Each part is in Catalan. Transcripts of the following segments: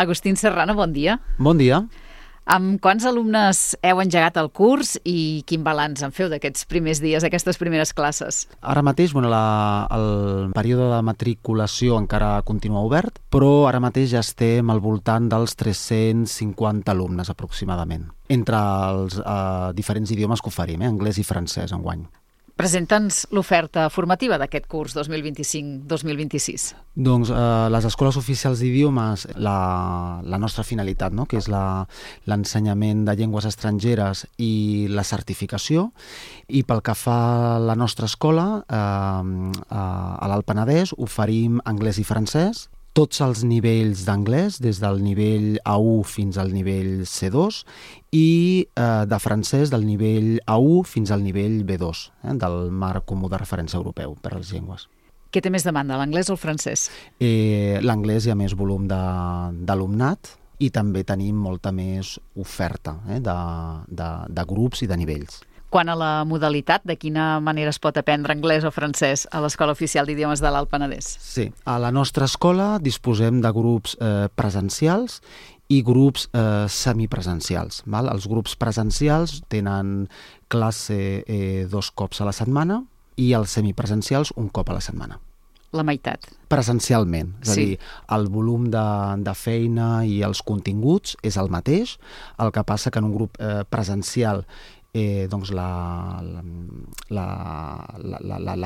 Agustín Serrano, bon dia. Bon dia. Amb quants alumnes heu engegat el curs i quin balanç en feu d'aquests primers dies, aquestes primeres classes? Ara mateix, el període de matriculació encara continua obert, però ara mateix ja estem al voltant dels 350 alumnes aproximadament, entre els diferents idiomes que oferim, anglès i francès enguany. Presenta'ns l'oferta formativa d'aquest curs 2025-2026. Doncs les escoles oficials d'idiomes, la nostra finalitat, no? Que és l'ensenyament de llengües estrangeres i la certificació, i pel que fa a la nostra escola, a l'Alt Penedès, oferim anglès i francès, tots els nivells d'anglès, des del nivell A1 fins al nivell C2, i de francès del nivell A1 fins al nivell B2, del marc comú de referència europeu per a les llengües. Què té més demanda, l'anglès o el francès? L'anglès hi ha més volum d'alumnat i també tenim molta més oferta de grups i de nivells. Quant a la modalitat, de quina manera es pot aprendre anglès o francès a l'Escola Oficial d'Idiomes de l'Alt Penedès? Sí, a la nostra escola disposem de grups presencials i grups semipresencials. Els grups presencials tenen classe 2 cops a la setmana i els semipresencials un cop a la setmana. La meitat. Presencialment, és a dir, el volum de feina i els continguts és el mateix, el que passa que en un grup presencial doncs la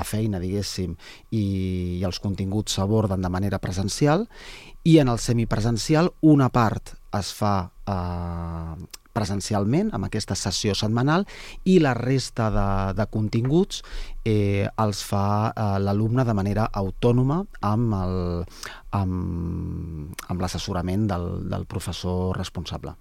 feina, diguéssim, i els continguts s'aborden de manera presencial, i en el semipresencial una part es fa presencialment, amb aquesta sessió setmanal, i la resta de continguts els fa l'alumne de manera autònoma amb l'assessorament del professor responsable.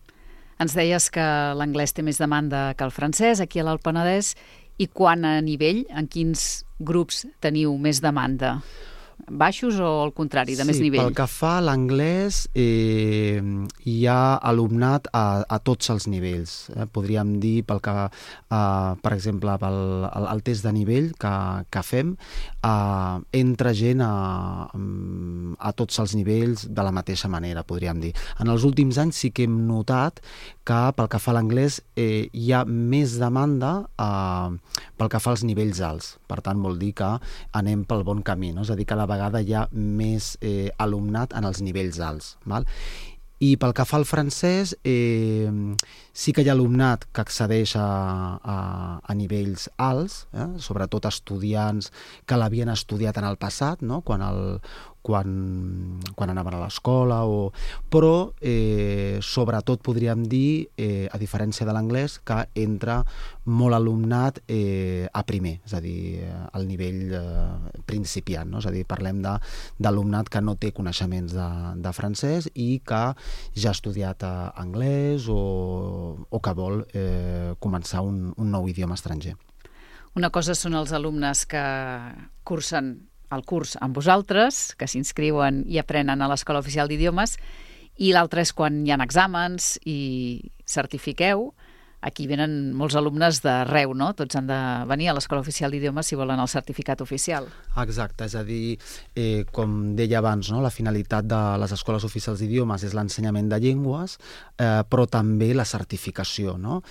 Ens deies que l'anglès té més demanda que el francès aquí a l'Alt Penedès, i quant a nivell, en quins grups teniu més demanda? Baixos o al contrari, de més nivell? Sí, pel que fa a l'anglès hi ha alumnat a tots els nivells. Podríem dir, per exemple, el test de nivell que fem, entra gent a tots els nivells de la mateixa manera, podríem dir. En els últims anys sí que hem notat que pel que fa a l'anglès hi ha més demanda pel que fa als nivells alts. Per tant, vol dir que anem pel bon camí, no? És a dir, cada vegada hi ha més alumnat en els nivells alts. I pel que fa al francès, sí que hi ha alumnat que accedeix a nivells alts, sobretot estudiants que l'havien estudiat en el passat, no? Quan anaven a l'escola, però sobretot podríem dir, a diferència de l'anglès, que entra molt alumnat a primer, és a dir, al nivell principiant, no? És a dir, parlem d'alumnat que no té coneixements de francès i que ja ha estudiat anglès o que vol començar un nou idioma estranger. Una cosa són els alumnes que cursen el curs amb vosaltres, que s'inscriuen i aprenen a l'Escola Oficial d'Idiomes, i l'altre és quan hi ha exàmens i certifiqueu. Aquí venen molts alumnes d'arreu, no? Tots han de venir a l'Escola Oficial d'Idiomes si volen el certificat oficial. Exacte, és a dir, com deia abans, no? La finalitat de les escoles oficials d'idiomes és l'ensenyament de llengües, però també la certificació, no?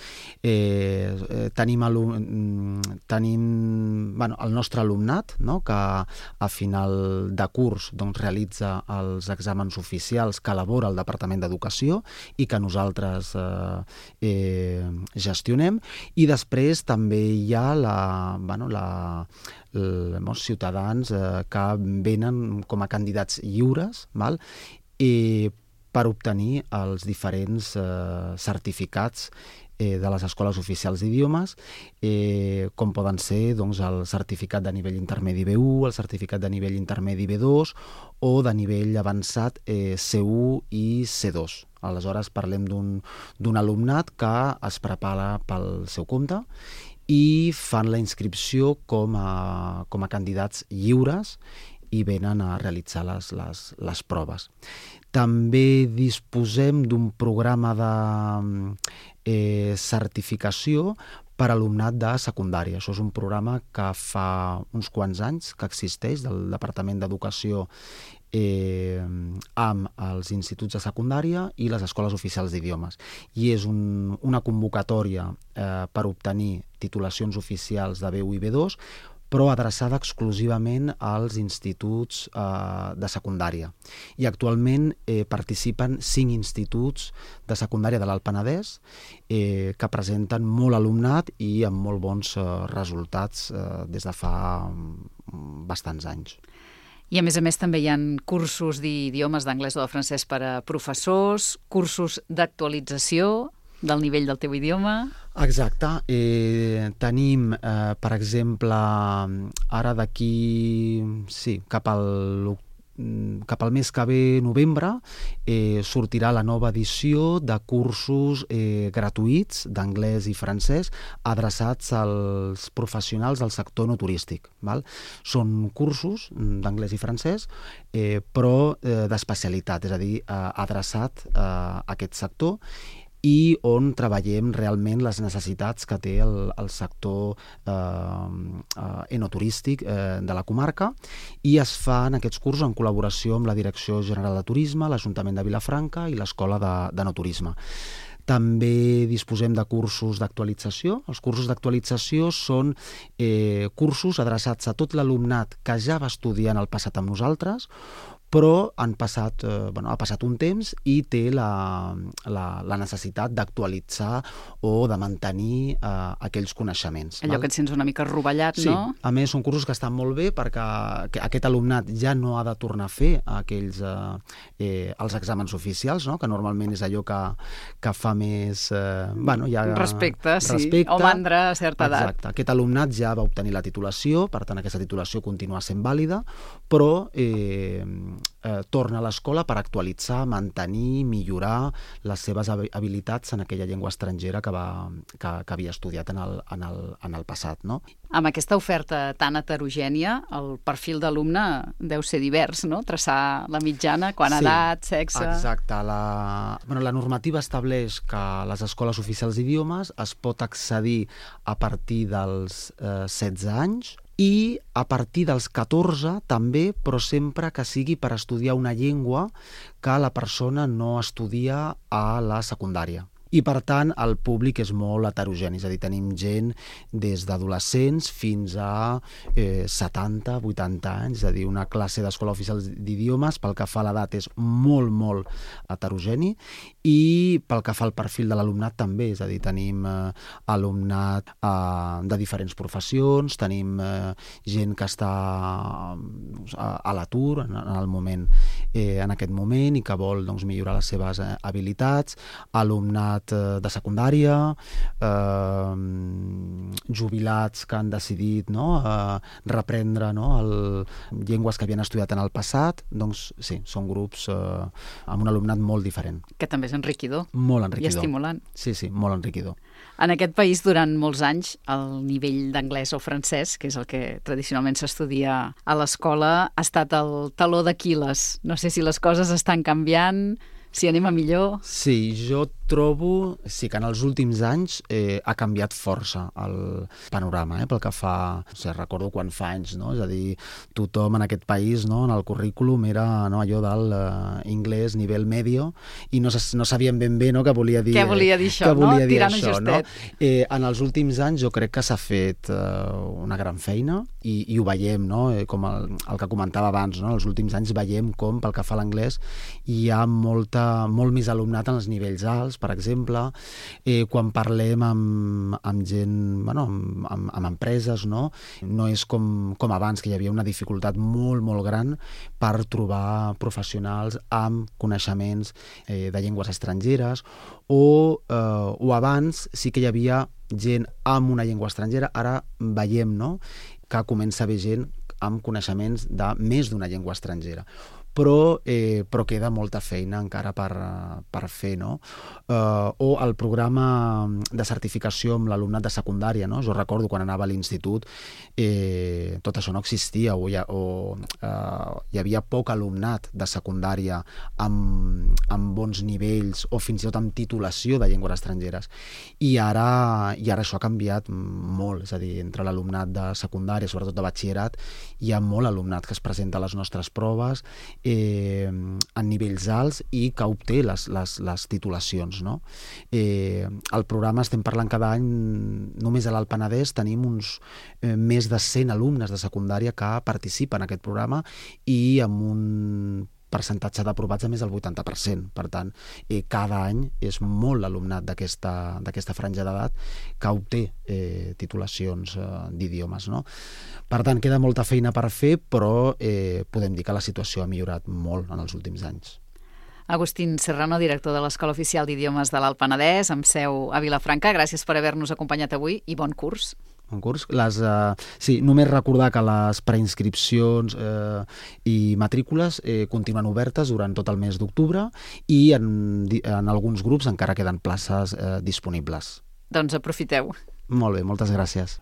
Tenim el nostre alumnat, no? Que a final de curs realitza els exàmens oficials que elabora el Departament d'Educació i que nosaltres gestionem, i després també hi ha molts ciutadans que venen com a candidats lliures per obtenir els diferents certificats de les escoles oficials d'idiomes, com poden ser el certificat de nivell intermedi B1, el certificat de nivell intermedi B2 o de nivell avançat C1 i C2. Aleshores parlem d'un alumnat que es prepara pel seu compte i fan la inscripció com a candidats lliures i venen a realitzar les proves. També disposem d'un programa de certificació per alumnat de secundària. Això és un programa que fa uns quants anys que existeix, del Departament d'Educació amb els instituts de secundària i les escoles oficials d'idiomes. I és una convocatòria per obtenir titulacions oficials de B1 i B2, però adreçada exclusivament als instituts de secundària. I actualment participen 5 instituts de secundària de l'Alt Penedès que presenten molt alumnat i amb molt bons resultats des de fa bastants anys. I a més també hi ha cursos d'idiomes d'anglès o de francès per a professors, cursos d'actualització del nivell del teu idioma. Exacte. Tenim, per exemple, ara d'aquí, cap al mes que ve, novembre, sortirà la nova edició de cursos gratuïts d'anglès i francès adreçats als professionals del sector no turístic. Són cursos d'anglès i francès, però d'especialitat, és a dir, adreçat a aquest sector, i on treballem realment les necessitats que té el sector enoturístic de la comarca, i es fan aquests cursos en col·laboració amb la Direcció General de Turisme, l'Ajuntament de Vilafranca i l'Escola d'Enoturisme. També disposem de cursos d'actualització. Els cursos d'actualització són cursos adreçats a tot l'alumnat que ja va estudiar en el passat amb nosaltres, però ha passat un temps i té la necessitat d'actualitzar o de mantenir aquells coneixements. Allò que et sents una mica rovellat, sí, no? A més, són cursos que estan molt bé perquè aquest alumnat ja no ha de tornar a fer els exàmens oficials, no? Que normalment és allò que fa més... respecte, o mandra a certa edat. Exacte. Aquest alumnat ja va obtenir la titulació, per tant aquesta titulació continua sent vàlida, però torna a l'escola per actualitzar, mantenir, millorar les seves habilitats en aquella llengua estrangera que havia estudiat en el passat, no? Amb aquesta oferta tan heterogènia, el perfil d'alumne deu ser divers, no? Traçar la mitjana, quant a edat, sexe... Exacte. La normativa estableix que a les escoles oficials d'idiomes es pot accedir a partir dels 16 anys, i a partir dels 14 també, però sempre que sigui per estudiar una llengua que la persona no estudia a la secundària. I, per tant, el públic és molt heterogeni, és a dir, tenim gent des d'adolescents fins a 70, 80 anys, és a dir, una classe d'escola oficial d'idiomes, pel que fa a l'edat, és molt, molt heterogeni, i pel que fa al perfil de l'alumnat també, és a dir, tenim alumnat de diferents professions, tenim gent que està a l'atur en aquest moment i que vol millorar les seves habilitats, alumnat de secundària, jubilats que han decidit reprendre llengües que havien estudiat en el passat. Doncs sí, són grups amb un alumnat molt diferent. Que també és enriquidor. Molt enriquidor. I estimulant. Sí, molt enriquidor. En aquest país, durant molts anys, el nivell d'anglès o francès, que és el que tradicionalment s'estudia a l'escola, ha estat el taló d'Aquil·les. No sé si les coses estan canviant, si anem a millor. Sí, jo trobo que en els últims anys ha canviat força el panorama, pel que fa... recordo quan fa anys, no? És a dir, tothom en aquest país, no, en el currículum era allò del inglès nivell medio, i no sabíem ben bé què volia dir. Què volia dir això, no? Tirant a justet. En els últims anys jo crec que s'ha fet una gran feina, i ho veiem, no? Com el que comentava abans, no? Els últims anys veiem com, pel que fa a l'anglès, hi ha molt més alumnat en els nivells alts, per exemple. Quan parlem amb gent, amb empreses, no és com abans, que hi havia una dificultat molt, molt gran per trobar professionals amb coneixements de llengües estrangeres, o abans sí que hi havia gent amb una llengua estrangera. Ara veiem, no, que comença a haver gent amb coneixements de més d'una llengua estrangera. Però queda molta feina encara per fer, no? O el programa de certificació amb l'alumnat de secundària, no? Jo recordo quan anava a l'institut tot això no existia, o hi havia poc alumnat de secundària amb bons nivells o fins i tot amb titulació de llengües estrangeres, i ara això ha canviat molt. És a dir, entre l'alumnat de secundària, sobretot de batxillerat, hi ha molt alumnat que es presenta a les nostres proves en nivells alts i que obté les titulacions, no? El programa, estem parlant cada any, només a l'Alt Penedès tenim uns més de 100 alumnes de secundària que participen en aquest programa i amb un percentatge d'aprovats de més del 80%. Per tant, cada any és molt l'alumnat d'aquesta franja d'edat que obté titulacions d'idiomes, no? Per tant, queda molta feina per fer, però podem dir que la situació ha millorat molt en els últims anys. Agustín Serrano, director de l'Escola Oficial d'Idiomes de l'Alt Penedès, amb seu a Vilafranca. Gràcies per haver-nos acompanyat avui i bon curs. Un curs. Sí, només recordar que les preinscripcions i matrícules continuen obertes durant tot el mes d'octubre i en alguns grups encara queden places disponibles. Doncs aprofiteu. Molt bé, moltes gràcies.